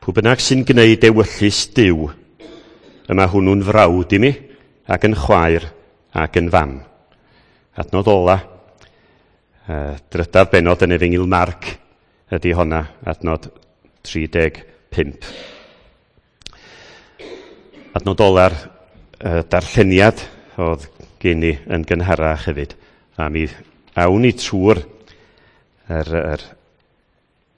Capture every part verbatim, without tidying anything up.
Pwy bynnag sy'n gwneud ewyllys Duw, y mae hwnnw'n frawd i mi, ac yn chwaer, ac yn fam. Adnod ola, uh, drydaf benod yn Efengyl Marc ydy honna, adnod tri deg pump. Adnod ola'r uh, darlleniad oedd gen i yn gynharach hefyd. A mi awn ni trwy'r yr, yr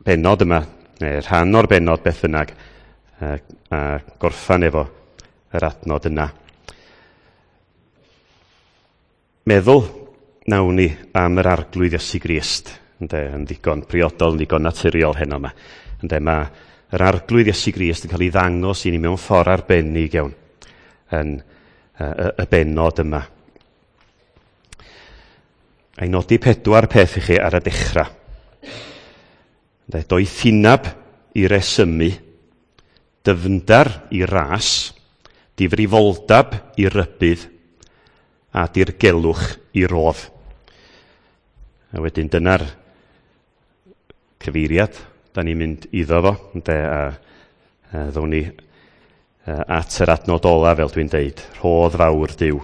benod yma, neu rhan o'r benod beth bynnag, a, a gorffan efo yr adnod yna. Meddwl nawn ni am yr Arglwydd Iesu Grist, ynde, yn ddigon priodol, yn ddigon naturiol heno yma. Ynde, mae yr Arglwydd Iesu Grist yn cael ei ddangos i ni mewn ffordd arbennig iawn yn y, y, y benod yma. A'i nodi pedwar peth i chi ar y dechrau. Ynde, doethineb i resymu, dyfndar i ras, difrifoldab i rybudd, a dirgelwch i rodd. A wedyn dyna'r cyfeiriad da ni'n mynd iddo fo, ynde, a, a ddown ni at yr adnod ola, fel dwi'n deud, rhodd fawr Duw.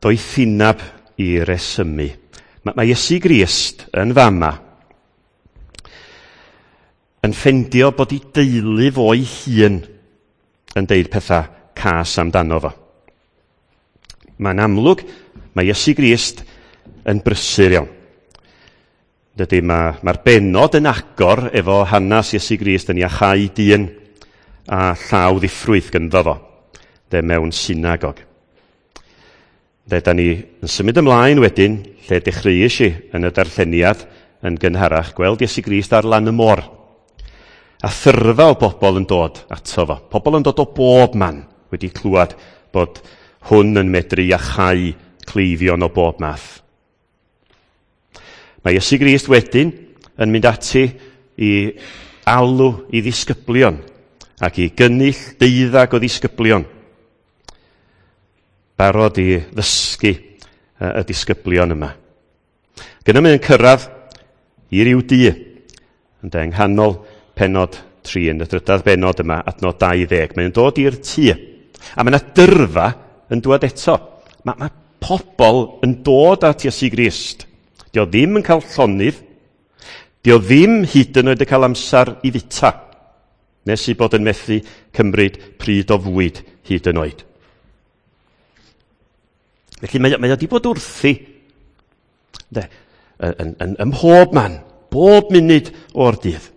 Doethineb i resymu. Mae, mae Iesu Grist yn fama yn ffendio bod ei deulu fo'i hun yn deud pethau cas amdano fo. Mae'n amlwg, mae Iesu Grist yn brysur iawn. Dydy, mae'r mae benod yn agor efo hanes Iesu Grist yn iachau dyn a llaw ddiffrwyth gynddo fo, de mewn synagog. De, da ni yn symud ymlaen wedyn, lle dechreuais i yn y darlleniad yn gynharach, gweld Iesu Grist ar lan y môr. A thyrfa o bobl yn dod ato fo. Pobl yn dod o bob man wedi clywed bod hwn yn medru iachau cleifion o bob math. Mae Iesu Grist wedyn yn mynd ati i alw i ddisgyblion ac i gynnull deuddag o ddisgyblion. Barod i ddysgu y disgyblion yma. Gyda mae'n cyrraedd i ryw dŷ, ynde, yng nghanol penod tri, yn y drydedd benod yma, adnod dau ddeg. Mae'n dod i'r tŷ. A mae yna dyrfa yn dŵad eto. Mae, mae pobl yn dod at Iesu Grist. Dio ddim yn cael llonydd. Dio ddim hyd yn oed yn cael amser i fita. Nes i bod yn methu cymryd pryd o fwyd hyd yn oed. Felly mae, mae o wedi bod wrthi de, yn, yn, yn ym mhob man, bob munud o'r dydd.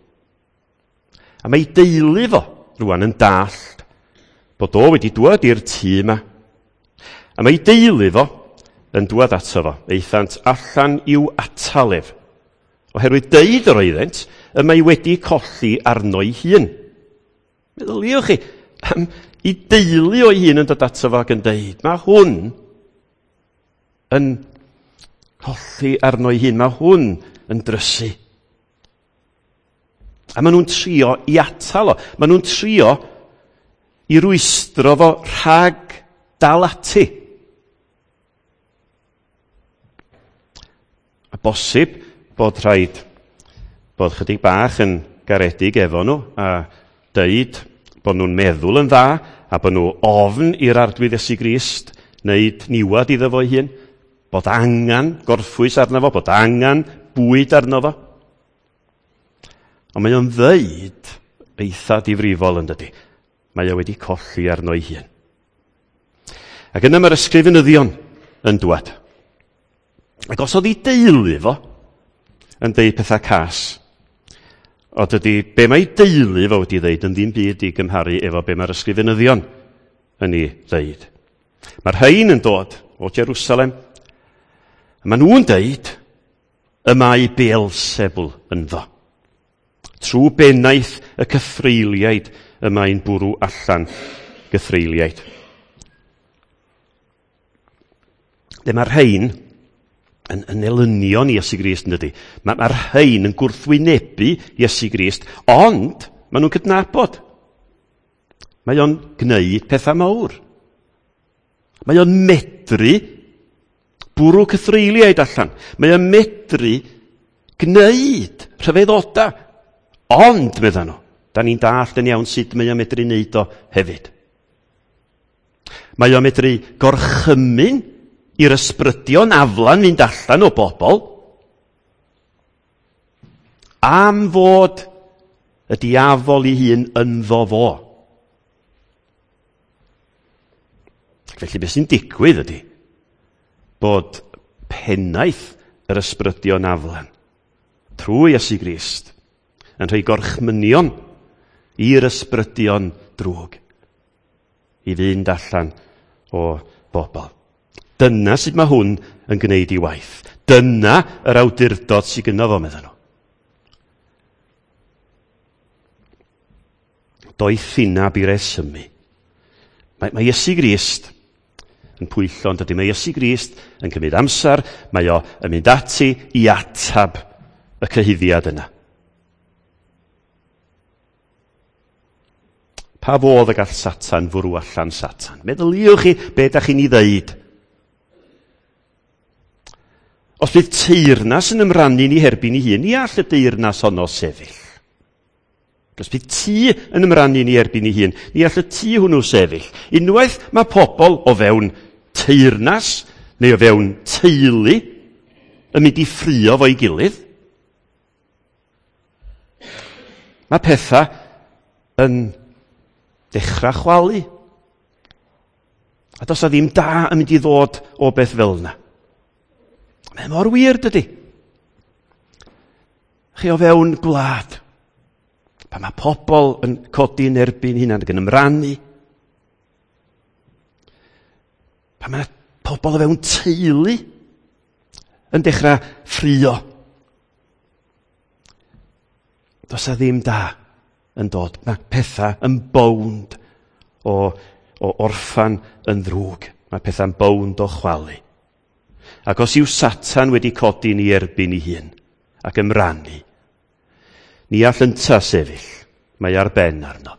A mae ei deulu fo rwan yn dallt bod o wedi dŵad i'r tŷ yma. A mae ei deulu fo yn dŵad ato fo. Aethant allan i'w atal ef. Oherwydd deud yr oeddent, y mae wedi colli arno'i hun. Meddyliwch chi, am ei deulu o'i hun yn dod ato fo ac yn deud, mae hwn yn colli arno'i hun, mae hwn yn drysu. A maen nhw'n trio i atal o. Maen nhw'n trio i rwystro fo rhag dal ati. A bosib bod rhaid bod chydig bach yn garedig efo nhw a deud bod nhw'n meddwl yn dda a bod nhw ofn i'r Arglwydd Iesu Grist wneud niwad iddo fo'i hun, bod angen gorffwys arno fo, bod angen bwyd arno fo. Ond mae o'n ddeud eitha difrifol yn dydi. Mae o wedi colli arno'i hun. Ac yna mae'r ysgrifenyddion yn dwad. Ac os oedd ei deulu fo yn deud pethau cas, o dydy be mae deulu fo wedi ddeud yn ddim byd i gymharu efo be mae'r ysgrifenyddion yn ei ddeud. Mae'r rhain yn dod o Jerusalem, a maen nhw'n deud y mae Beelzebul ynddo. Trwy bennaeth y cythreuliaid y mae'n bwrw allan gythreuliaid. Dyma'r rhain yn, yn elynion Iesu Grist yn dydy. Mae'r ma rhain yn gwrthwynebu Iesu Grist, ond maen nhw'n cydnabod. Mae o'n gwneud pethau mawr. Mae o'n medru bwrw cythreuliaid allan. Mae o'n medru gwneud rhyfeddodau. Ond, medda nhw, Da ni'n dallt yn iawn sut mae o'n medru wneud o hefyd. Mae o'n medru gorchymyn i'r ysbrydion aflan fynd allan o bobl am fod y diafol ei hun ynddo fo. Felly beth sy'n digwydd ydy bod pennaeth yr ysbrydion aflan trwy Iesu Grist yn rhoi gorchmynion i'r ysbrydion drwg i fynd allan o bobl. Dyna sut mae hwn yn gwneud ei waith. Dyna yr awdurdod sydd gynno fo, medden nhw. Doethineb i resymu. Mae, mae Iesu Grist yn pwyllo, yn dydy. Mae Iesu Grist yn cymryd amser, mae o yn mynd ati i atab y cyhuddiad yna. Pa fodd y gall Satan fwrw allan Satan? Meddyliwch chi be da chi'n ei ddeud. Os bydd teyrnas yn ymrannu ni herbyn ei hun, ni all y deyrnas honno sefyll. Os bydd tŷ yn ymrannu ni erbyn ei hun, ni all y tŷ hwnnw sefyll. Unwaith mae pobl o fewn teyrnas neu o fewn teulu yn mynd i ffrio fo'i gilydd, mae pethau yn dechrau chwalu. A does 'na ddim da yn mynd i ddod o beth fel yna. Mae mor wir, dydy. Chi o fewn gwlad, pan mae pobl yn codi yn erbyn hunan ac yn ymrannu, pan mae pobl o fewn teulu yn dechrau ffrio, does 'na ddim da yn dod. Mae pethau yn bownd o, o orffan yn ddrwg. Mae pethau'n bownd o chwalu. Ac os yw Satan wedi codi ni erbyn ei hun ac ymrannu, ni all ynta sefyll, mae ar ben arno.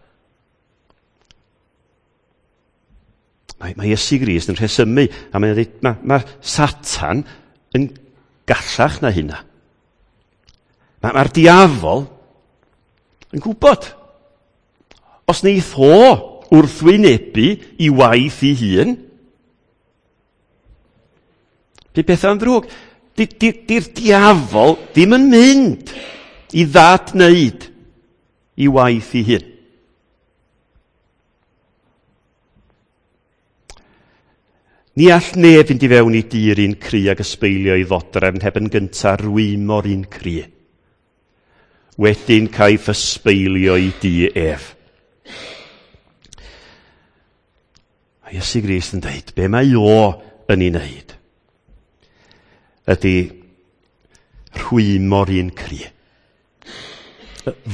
Mae, mae Iesu Grist yn rhesymu, a mae'n dweud, mae, mae Satan yn gallach na hynna. Mae, mae'r diafol yn gwybod. Os neith o wrthwynebu i waith ei hun, bydd pethau'n ddrwg. Di'r diafol ddim yn mynd i ddadwneud i waith ei hun. Ni all neb fynd i fewn i dŷ'r un cry ag ysbeilio i ddodrefn heb yn gyntaf rwymo'r un cry. Wedyn caiff ysbeilio i dŷ ef. Mae Iesu Grist yn dweud, be mae o yn ei wneud ydy rhwymo'r un cry.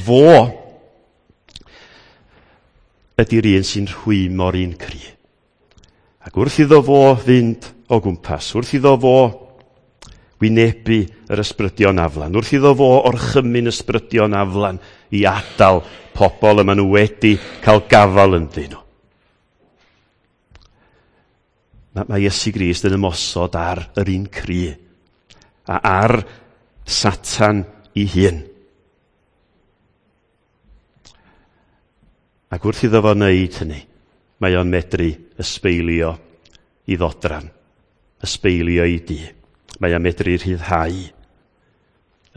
Fo ydy'r un sy'n rhwymo'r un cry. Ac wrth iddo fo fynd o gwmpas, wrth iddo fo wynebu yr ysbrydion aflan, wrth iddo fo orchymyn ysbrydion aflan i adael pobl y maen nhw wedi cael gafal ynddyn nhw. Mae, mae Iesu Grist yn ymosod ar yr un cry a ar Satan ei hun. Ac wrth iddo fo wneud hynny, mae o'n medru ysbeilio i ddodran, ysbeilio i dŷ. Mae o'n medru rhyddhau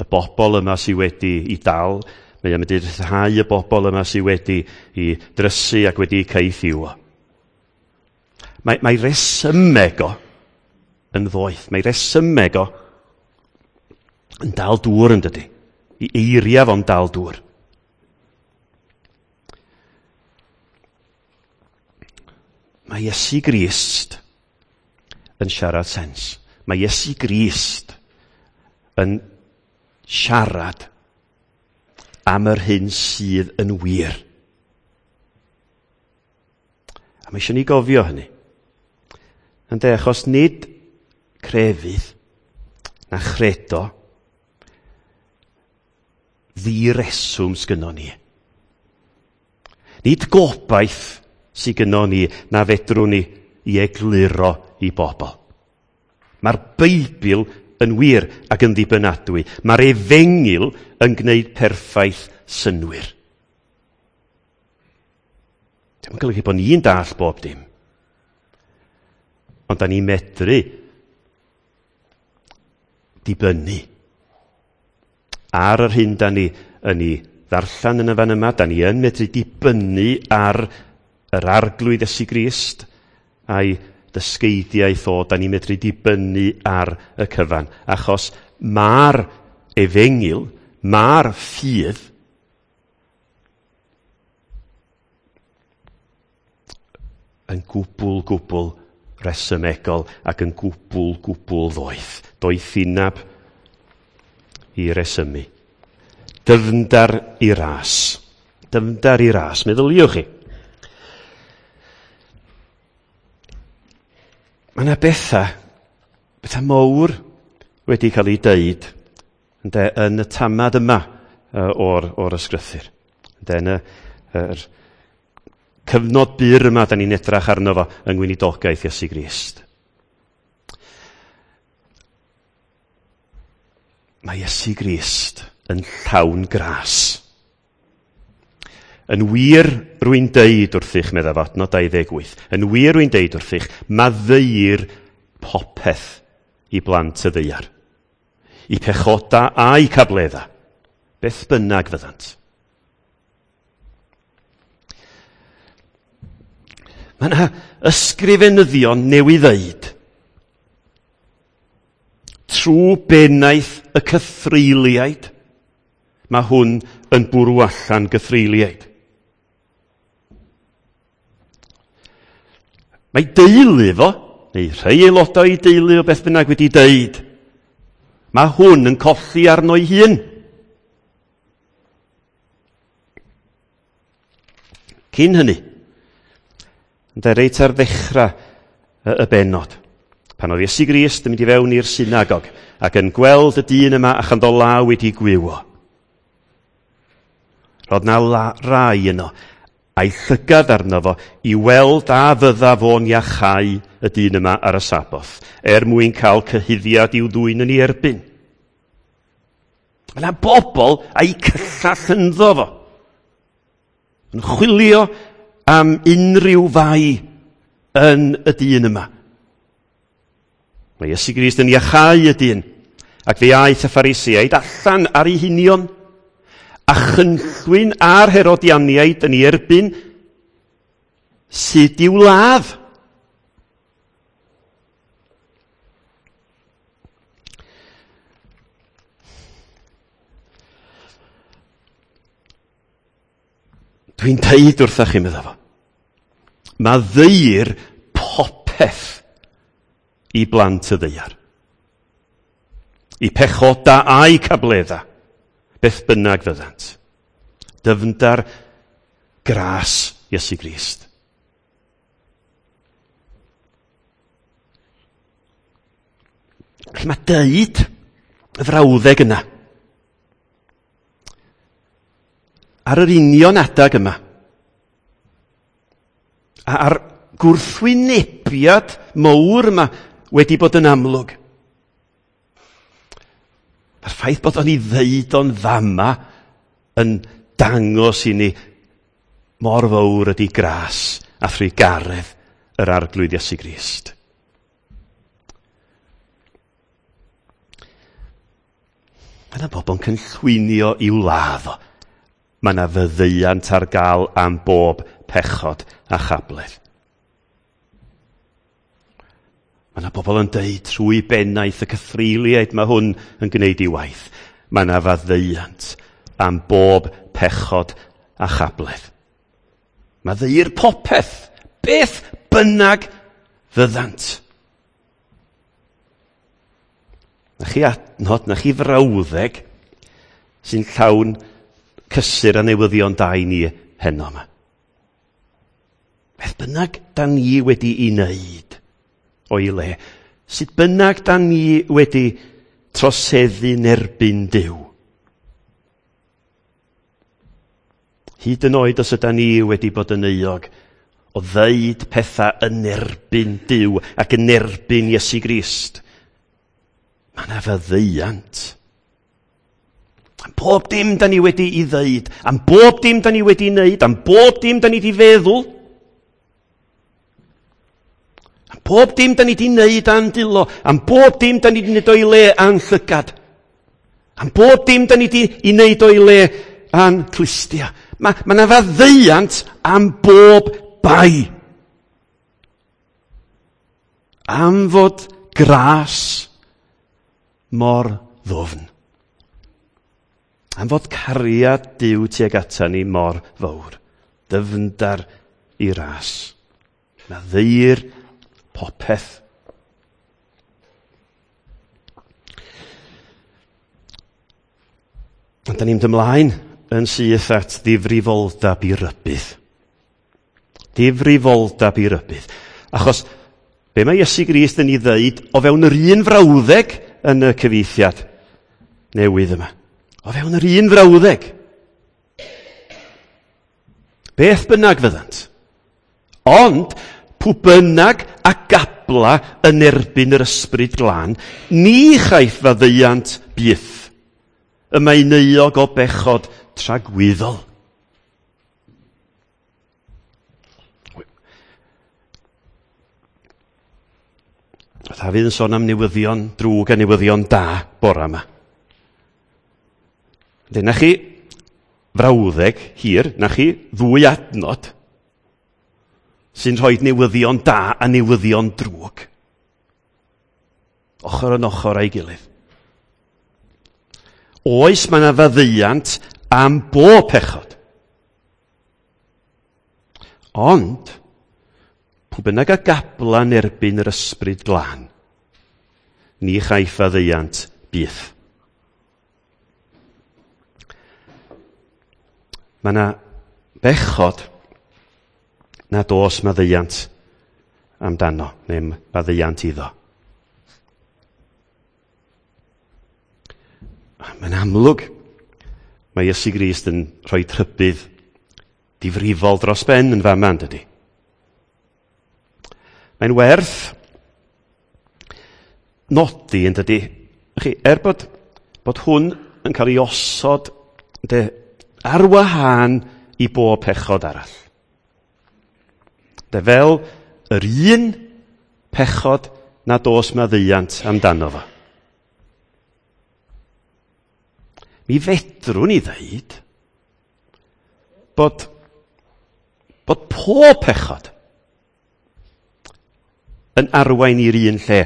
y bobl yma sydd wedi i dal, mae o'n medru rhyddhau y bobl yma sydd wedi i drysu ac wedi caethiwo. Mae, mae resymeg o yn ddoeth, mae resymeg o yn dal dŵr yn dydy. I eiriau fo'n dal dŵr. Mae Iesu Grist yn siarad sens. Mae Iesu Grist yn siarad am yr hyn sydd yn wir. A mae eisiau ni gofio hynny. Ynde, achos nid crefydd na chredo ddireswm sgynnon ni. Nid gobaith sydd gynnon ni na fedrwn ni i egluro i bobl. Mae'r Beibl yn wir ac yn ddibynadwy. Mae'r efengyl yn gwneud perffaith synnwyr. Dim yn golygu bod ni'n dall bob dim. Ond da ni'n medru dibynnu ar yr hyn da ni yn ei ddarllen yn y fan yma. Da ni yn medru dibynnu ar yr Arglwydd Iesu Grist a'i dysgeidiaeth o. Da ni'n medru dibynnu ar y cyfan. Achos mae'r efengyl, mae'r ffydd yn gwbl, gwbl resymegol ac yn gwbl, gwbl ddoeth. Doethineb i resymu. Dyfndar i ras. Dyfndar i ras. Meddyliwch chi. Mae yna bethau, bethau mawr wedi cael ei deud ynde, yn y tamad yma o'r, o'r ysgrythur. Ynde, yn y, yr cyfnod byr yma da ni'n edrach arno fo yng ngweinidogaeth Iesu Grist. Mae Iesu Grist yn llawn gras. Yn wir rwy'n deud wrthych, meddaf adnod dau ddeg wyth, yn wir rwy'n deud wrthych, maddeuir popeth i blant y ddaear, i pechoda a'i cabledda, beth bynnag fyddant. Mae yna ysgrifenyddion newydd ddeud, trwy bennaeth y cythreuliaid, mae hwn yn bwrw allan gythreuliaid. Mae deulu fo, neu rhai aelodau i deulu o beth bynnag wedi deud, mae hwn yn colli arno'i hun. Cyn hynny, ynde, reit ar ddechrau y, y bennod, pan oedd Iesu Grist yn mynd i fewn i'r synagog ac yn gweld y dyn yma a chanddo law wedi gwywo. Roedd na la, rai yno, a'i llygad arno fo i weld a fydda fo'n iachau y dyn yma ar y Saboth, er mwyn cael cyhuddiad i'w ddwyn yn ei erbyn. Mae yna bobl a'i cyllall ynddo fo, yn chwilio am unrhyw fai yn y dyn yma. Mae Iesu Grist yn iachau y dyn, ac fe aeth y Pharisïaid allan ar ei hunion, a chynllwyn a'r Herodianiaid yn ei erbyn sut i'w ladd. Dwi'n deud wrthach chi, meddai fo, maddeuir popeth i blant y ddaear, i pechoda a'i cabledda, beth bynnag fyddant. Dyfndar gras Iesu Grist. Felly mae deud y frawddeg yna ar yr union adag yma, a'r gwrthwynebiad mawr yma wedi bod yn amlwg. Mae'r ffaith bod o'n ei ddeud o'n fama yn dangos i ni mor fawr ydy gras a thrugaredd yr Arglwydd Iesu Grist. Mae yna bobl yn cynllwynio i'w ladd o. Mae yna fyddeuant ar gael am bob pechod a chabledd. Mae yna bobl yn deud trwy bennaeth y cythreuliaid mae hwn yn gwneud ei waith. Mae yna faddeuant am bob pechod a chabledd. Maddeuir popeth, beth bynnag fyddant. Na chi adnod, na chi frawddeg sy'n llawn cysur a newyddion da i ni heno yma. Beth bynnag da ni wedi ei wneud o'i le, sut bynnag da ni wedi troseddu nerbyn Duw. Hyd yn oed os yda ni wedi bod yn euog o ddeud pethau yn erbyn Duw ac yn erbyn Iesu Grist, mae yna faddeuant. Am bob dim da ni wedi ei ddeud, am bob dim da ni wedi wneud, am bob dim da ni wedi feddwl. Am bob dim da ni di wneud a'n dwylo, am bob dim da ni di wneud o'i le a'n llygad, am bob dim da ni di i wneud o'i le a'n clustia. Mae ma 'na faddeuant am bob bai. Am fod gras mor ddwfn. Am fod cariad Duw tuag ata ni mor fawr. Dyfndar i ras. Maddeuir popeth. Ond da ni'n mynd ymlaen yn syth at ddifrifoldeb i rybudd. Difrifoldeb i rybudd. Achos be mae Iesu Grist yn ei ddeud o fewn yr un frawddeg yn y cyfieithiad newydd yma. O fewn yr un frawddeg. Beth bynnag fyddant. Ond pw bynnag a gabla yn erbyn yr ysbryd glân, ni chaiff faddeuant byth. Y mae'n euog o bechod tragwyddol. Dafydd yn sôn am newyddion drwg a newyddion da bora yma. Dyna chi frawddeg hir, na chi ddwy adnod sy'n rhoi newyddion da a newyddion drwg. Ochr yn ochr a'i gilydd. Oes mae yna faddeuant am bob pechod. Ond, pw bynnag a gabla'n erbyn yr ysbryd glân, ni chaiff faddeuant byth. Mae yna bechod nad oes maddeuant amdano, neu maddeuant iddo. Mae'n amlwg, mae Iesu Grist yn rhoi trybydd difrifol dros ben yn fama, yn dydi? Mae'n werth nodi, yn dydi? Chi, er bod, bod hwn yn cael ei osod de, ar wahân i bob pechod arall. De, fel yr un pechod nad oes maddeuant amdano fo. Mi fedrwn ni ddeud bod, bod pob pechod yn arwain i'r un lle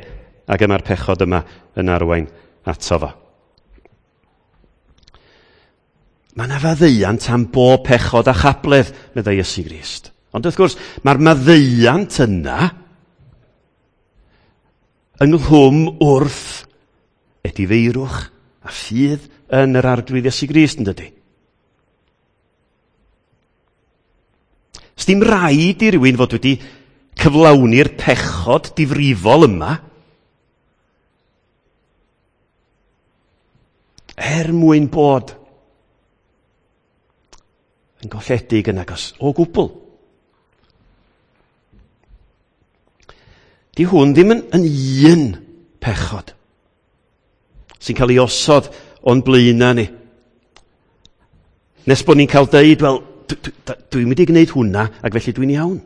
ac y mae'r pechod yma yn arwain ato fo. Mae yna faddeuant am bob pechod a chabledd, meddai Iesu Grist. Ond wrth gwrs, mae'r maddeuant yna ynghlwm wrth edifeirwch a ffydd yn yr Arglwydd Iesu Grist, yn dydi? Sdim rhaid i rywun fod wedi cyflawni'r pechod difrifol yma er mwyn bod yn golledig yn agos o gwbl. Di hwn ddim yn, yn un pechod sy'n cael ei osod o'n blaenau ni. Nes bod ni'n cael deud, wel, dwi'n mynd i gwneud hwnna, ac felly dwi'n iawn.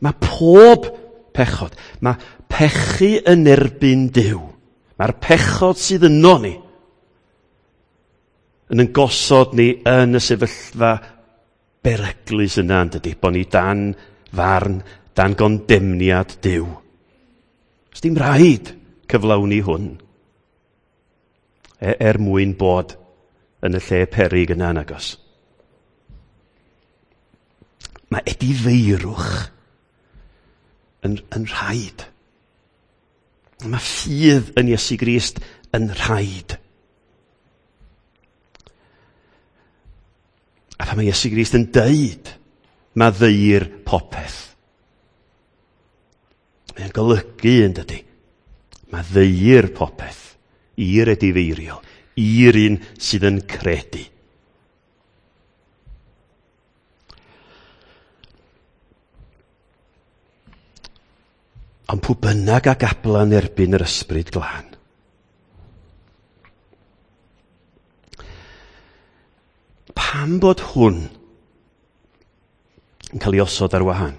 Mae pob pechod, mae pechu yn erbyn Duw, mae'r pechod sydd yno ni, yn yn gosod ni yn y sefyllfa beryglus yna, yn dydi, bod ni dan farn, dan gondemniad Duw. Sdim rhaid cyflawni hwn er mwyn bod yn y lle peryg yna yn agos. Mae edifeirwch yn, yn rhaid. Mae ffydd yn Iesu Grist yn rhaid. A pan mae Iesu Grist yn deud, maddeuir popeth. Mae'n golygu yn dydi. Maddeuir popeth i'r edifeiriol, i'r un sydd yn credu. Ond pw bynnag a gabla'n erbyn yr ysbryd glân. Pam bod hwn yn cael ei osod ar wahân?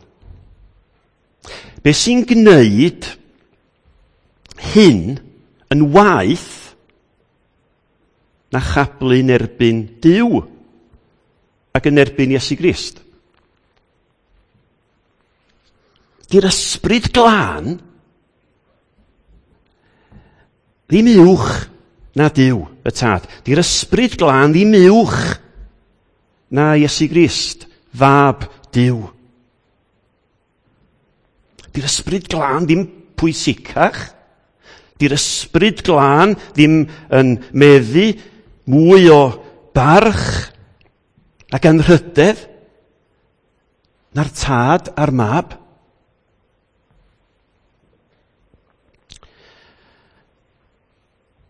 Be sy'n gwneud hyn yn waeth na chablu'n erbyn Duw ac yn erbyn Iesu Grist? Di'r Ysbryd Glân ddim uwch na Duw y Tad. Di'r Ysbryd Glân ddim uwch na Iesu Grist, fab Duw. Di'r Ysbryd Glân ddim pwysicach. Di'r Ysbryd Glân ddim yn meddu mwy o barch ac anrhydedd na'r Tad a'r Mab.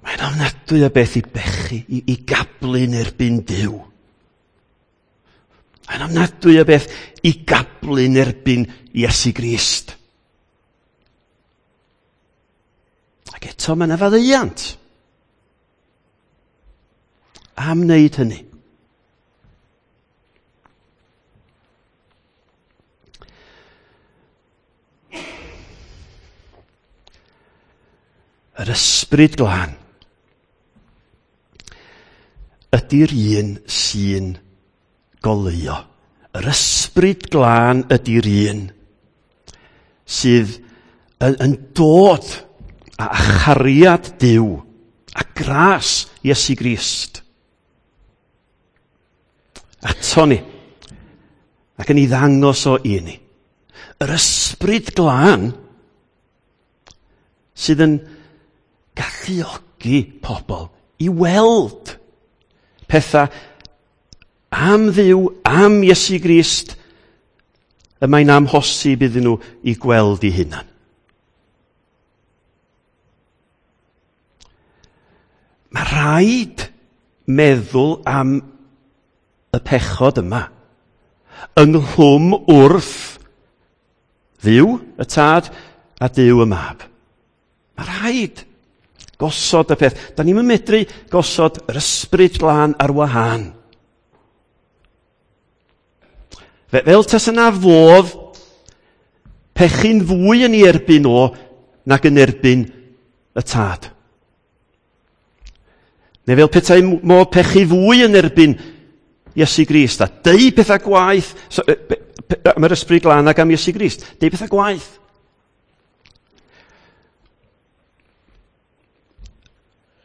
Mae'n ofnadwy o beth i bechu, i, i gablu'n erbyn Duw. Mae'n ofnadwy o beth i gablu'n erbyn Iesu Grist. Ac eto mae yna faddeuant am wneud hynny. Yr Ysbryd Glân ydy'r un sy'n goleuo. Yr Ysbryd Glân ydy'r un sydd yn, yn dod a chariad Duw a gras Iesu Grist ato ni ac yn ei ddangos o i ni. Yr Ysbryd Glân sydd yn galluogi pobl i weld pethau am Dduw, am Iesu Grist, y mae'n amhosib iddyn nhw i gweld eu hunan. Mae rhaid meddwl am y pechod yma ynghlwm wrth Dduw y Tad a Duw y Mab. Mae rhaid gosod y peth. Da ni'm yn medru gosod yr Ysbryd Glân ar wahân. Fe, fel tasa na fodd pechu'n fwy yn ei erbyn o nag yn erbyn y Tad. Neu fel petai modd pechu fwy yn erbyn Iesu Grist a deud pethau gwaeth so, am yr Ysbryd Glân ac am Iesu Grist. Deud pethau gwaeth.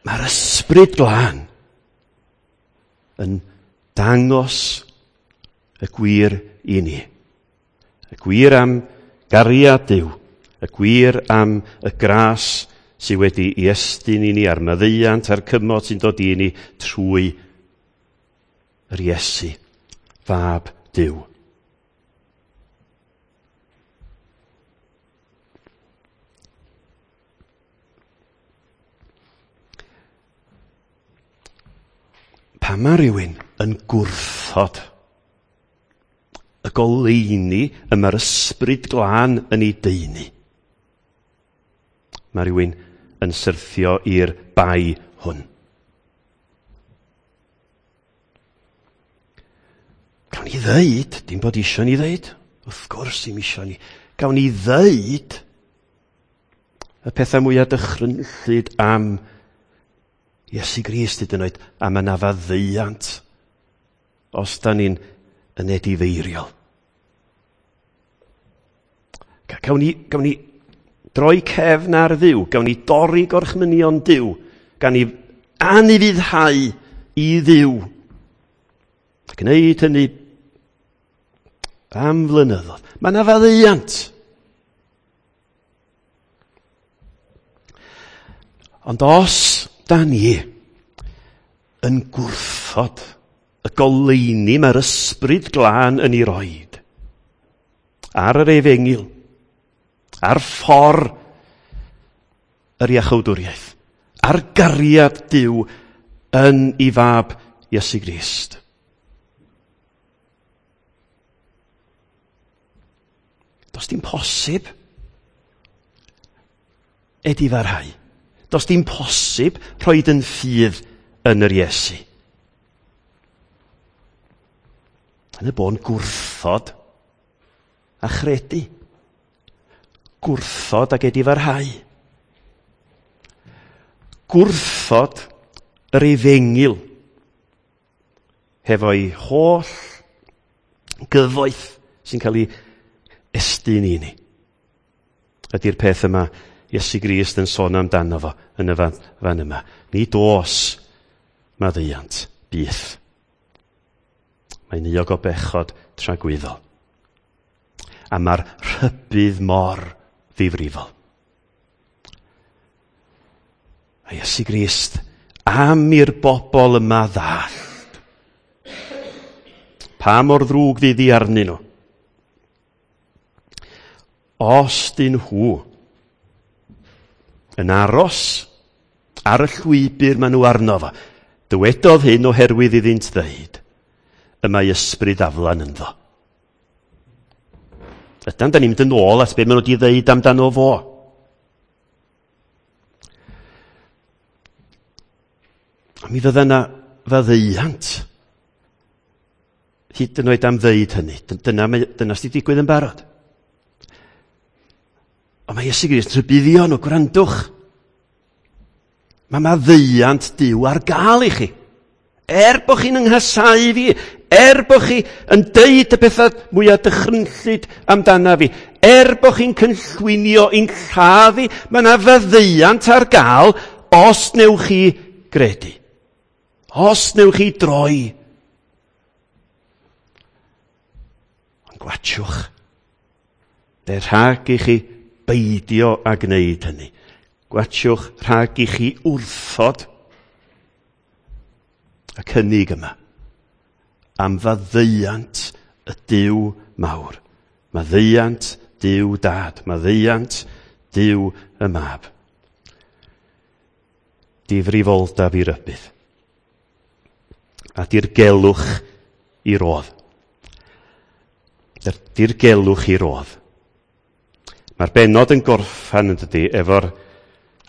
Mae'r Ysbryd Glân yn dangos y gwir i ni. Y gwir am gariad Duw, y gwir am y gras sydd wedi ei estyn i ni, a'r maddeuant a'r cymod sy'n dod i ni trwy yr Iesu, fab Duw. Pan mae rhywun yn gwrthod y goleuni y mae'r Ysbryd Glân yn ei deunu, mae rhywun yn syrthio i'r bai hwn. Gawn ni ddeud, dim bod isio ni ddeud, wrth gwrs dim isio ni, gawn ni ddeud y pethau mwyaf dychrynllyd am Iesu Grist hyd yn oed, am yna faddeuant os da ni'n yn edifeiriol. Gawn ni, gawn ni droi cefn ar Dduw, gawn ni dorri gorchmynion Duw, gawn ni anufuddhau i Dduw. Gwneud hynny am flynyddoedd. Mae yna faddeuant. Ond os da ni yn gwrthod y goleuni mae'r Ysbryd Glân yn ei roid ar yr efengyl, ar ffordd yr iachawdwriaeth, ar gariad Duw yn ei fab Iesu Grist. Does dim posib edifarhau. Does dim posib rhoid yn ffydd yn yr Iesu. Yn y bôn gwrthod a chredu. Gwrthod ac edifarhau. Gwrthod yr efengyl hefo'i holl gyfoeth sy'n cael ei estyn i ni. Ydy'r peth yma Iesu Grist yn sôn amdano fo yn y fan, fan yma. Nid oes maddeuant byth. Mae'n euog o bechod tragwyddol. A mae'r rhybudd mor ddifrifol. A Iesu Grist am i'r bobl yma ddallt pa mor ddrwg fydd hi arnyn nhw. Os dyn nhw yn aros ar y llwybr maen nhw arno fo, dywedodd hyn oherwydd iddynt ddeud, y mae ysbryd aflan ynddo. Ydan, da ni'n mynd yn ôl at be maen nhw wedi ddeud amdano fo. A mi fydda yna faddeuant hyd yn oed am ddeud hynny. Dyna, dyna sydd wedi digwydd yn barod. Ond mae Iesu Grist yn rhybuddio nhw, gwrandwch. Mae maddeuant Duw ar gael i chi. Er bod chi'n ynghasáu fi, er bod chi yn deud y pethau mwyaf dychrynllyd amdana fi, er bod chi'n cynllwynio i'n lladd i, mae yna faddeuant ar gael os newch chi gredu. Os newch chi droi. Ond gwatchwch. De rhag i chi beidio a gwneud hynny. Gwatchwch rhag i chi wrthod y cynnig yma am faddeuant y Duw mawr. Maddeuant Duw Dad. Maddeuant Duw y Mab. Difrifoldeb i rybudd. A dirgelwch i rodd. Dirgelwch i rodd. Mae'r bennod yn gorffan yn dydi efo'r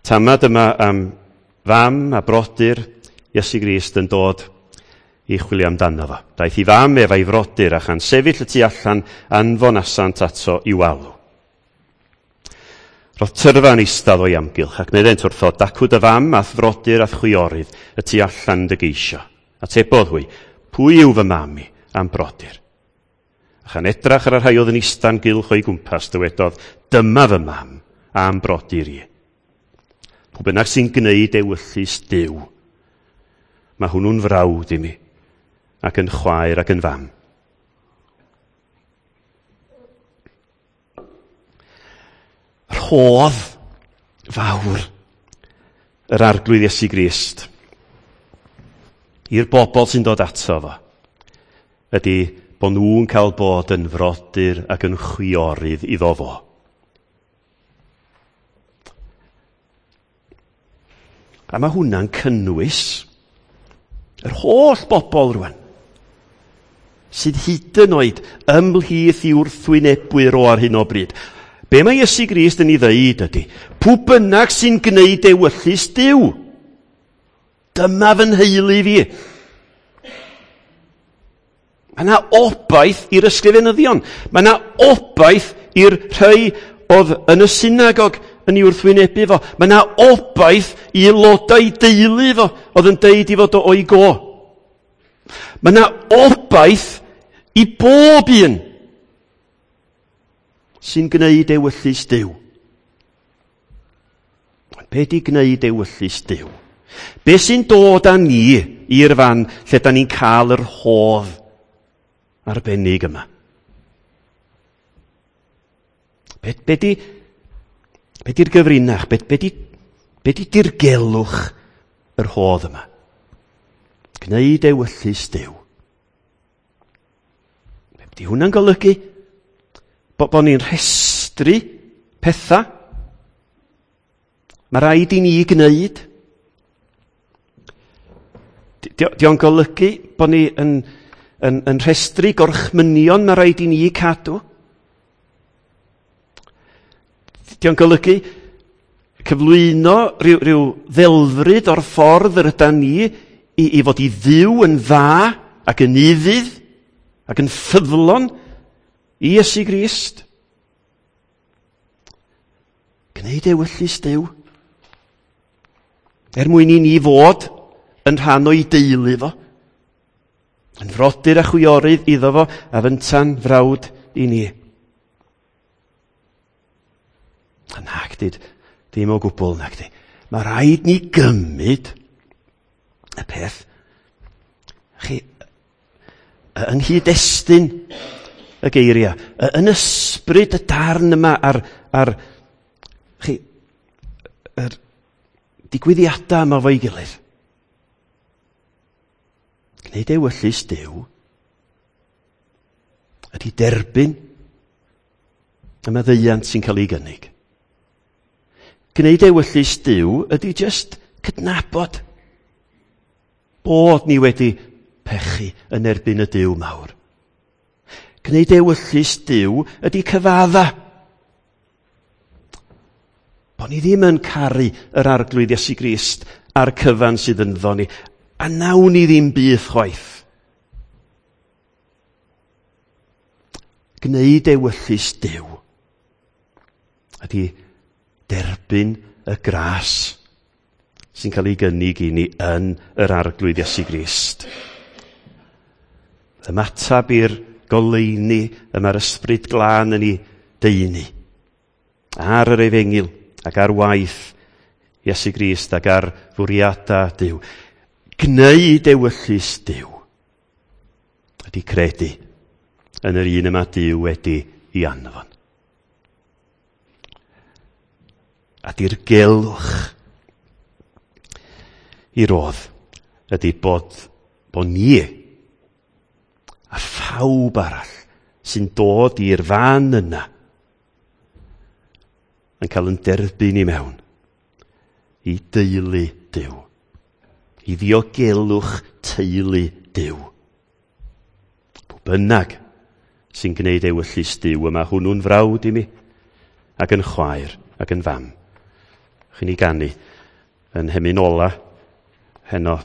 tamad yma am fam a brodyr Iesu Grist yn dod i chwilio amdano fo. Daeth i fam ef a'i frodyr a chan sefyll y tu allan anfonasant ato i'w alw. Roedd tyrfa'n eistedd o'i amgylch ac meddent wrtho, dacw dy fam a'th frodyr a'th chwiorydd y tu allan dy geisio. Atebodd hwy, pwy yw fy mam i a'm brodyr? A chan edrach ar y rhai oedd yn ista'n gylch o'i gwmpas, dywedodd, dyma fy mam a'm brodyr i. Pwy bynnag sy'n gwneud ewyllys Duw, mae hwnnw'n frawd i mi, ac yn chwaer ac yn fam. Rhodd fawr yr Arglwydd Iesu Grist i'r bobl sy'n dod ato fo ydy bod nhw'n cael bod yn frodyr ac yn chwiorydd iddo fo. A mae hwnna'n cynnwys yr holl bobl rwan sydd hyd yn oed ymhlith i wrthwynebwyr o ar hyn o bryd. Be mae Iesu Grist yn ei ddeud ydy, pwy bynnag sy'n gwneud ewyllys Duw, dyma fy nheulu fi. Mae yna obaith i'r ysgrifenyddion. Mae yna obaith i'r rhai oedd yn y synagog yn ei wrthwynebu fo. Mae yna obaith i aelodau deulu fo oedd yn deud i fod o o'i go. Mae yna obaith i bob un sy'n gwneud ewyllys Duw. Be di gwneud ewyllys Duw? Be sy'n dod â ni i'r fan lle da ni'n cael yr hodd arbennig yma? Be, be di, be di'r gyfrinach? Be, be di, be di dirgelwch yr hodd yma? Gwneud ewyllys Duw. Be di hwnna'n golygu? Bo, bo ni'n rhestru pethau mae rhaid i ni gwneud. Di, di o'n golygu bod ni yn, yn, yn rhestru gorchmynion mae rhaid i ni cadw. Di o'n golygu cyflwyno rhyw, rhyw ddelfryd o'r ffordd yr ydan ni i, i fod i ddiw yn dda ac yn ufudd ac yn ffyddlon i Iesu Grist. Gwneud ewyllys Duw. Er mwyn i ni fod yn rhan o'i deulu fo. Yn frodyr a chwiorydd iddo fo a fynta'n frawd i ni. A nag di, dim o gwbl nag di. Mae rhaid ni gymryd y peth. Chi, yng nghyd-destun y geiriau, yn ysbryd y darn yma ar, ar chi, yr digwyddiadau yma fo'i gilydd. Gwneud ewyllys Duw ydy derbyn y maddeuant sy'n cael ei gynnig. Gwneud ewyllys Duw ydy just cydnabod bod ni wedi pechu yn erbyn y Duw mawr. Gwneud ewyllys Duw ydy cyfadda. Bo ni ddim yn caru yr Arglwydd Iesu Grist a'r cyfan sydd ynddo ni, a nawn ni ddim byth chwaith. Gwneud ewyllys Duw ydy derbyn y gras sy'n cael ei gynnig i ni yn yr Arglwydd Iesu Grist. Ymateb i'r goleuni y mae'r Ysbryd Glân yn ei deunu ar yr efengyl ac ar waith Iesu Grist ac ar fwriadau Duw. Gwneud ewyllys Duw ydy credu yn yr un yma Duw wedi ei anfon. A dirgelwch i rodd ydy bod, bod ni a phawb arall sy'n dod i'r fan yna yn cael yn derbyn i mewn i deulu Duw, i ddiogelwch teulu Duw. Pwy bynnag sy'n gwneud ewyllys Duw yma, hwnnw'n frawd i mi ac yn chwaer ac yn fam. Chi'n ei ganu yn hemyn ola heno.